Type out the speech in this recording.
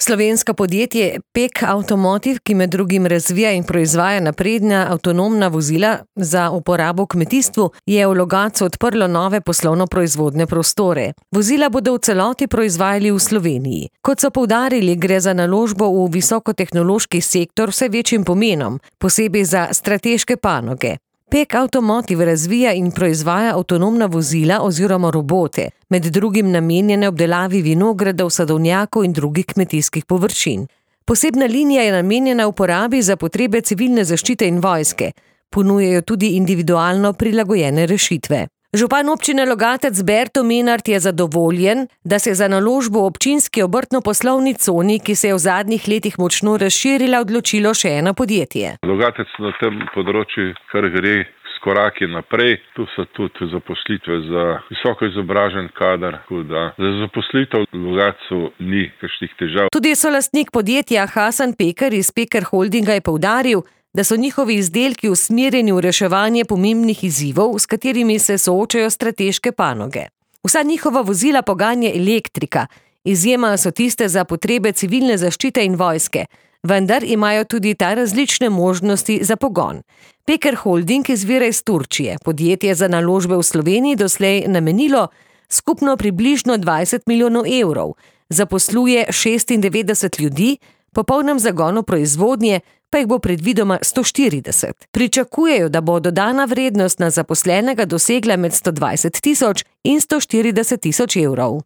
Slovensko podjetje PEK Automotive, ki med drugim razvija in proizvaja napredna avtonomna vozila za uporabo v kmetijstvu, je v Logatcu odprlo nove poslovno-proizvodne prostore. Vozila bodo v celoti proizvajali v Sloveniji. Kot so poudarili, gre za naložbo v visokotehnološki sektor vse večjim pomenom, posebej za strateške panoge. PEK Automotive razvija in proizvaja avtonomna vozila oziroma robote, med drugim namenjene obdelavi vinogradov, sadovnjakov in drugih kmetijskih površin. Posebna linija je namenjena uporabi za potrebe civilne zaščite in vojske. Ponujajo tudi individualno prilagojene rešitve. Župan občine Logatec Berto Menart je zadovoljen, da se za naložbo v občinski obrtno-poslovni coni, ki se je v zadnjih letih močno razširila, odločilo še eno podjetje. Logatec na tem področju kar gre s koraki naprej. Tu so tudi zaposlitve za visoko izobražen kader, da za zaposlitev v Logatcu ni kakšnih težav. Tudi solastnik podjetja Hasan Peker iz Peker Holdinga je poudaril, da so njihovi izdelki usmerjeni v reševanje pomembnih izzivov, s katerimi se soočajo strateške panoge. Vsa njihova vozila poganja elektrika, izjema so tiste za potrebe civilne zaščite in vojske, vendar imajo tudi ta različne možnosti za pogon. Peker Holding izvira iz Turčije. Podjetje za naložbe v Sloveniji doslej namenilo skupno približno 20 milijonov evrov, zaposluje 96 ljudi, po polnem zagonu proizvodnje pa jih bo predvidoma 140. Pričakujejo, da bo dodana vrednost na zaposlenega dosegla med 120 tisoč in 140 tisoč evrov.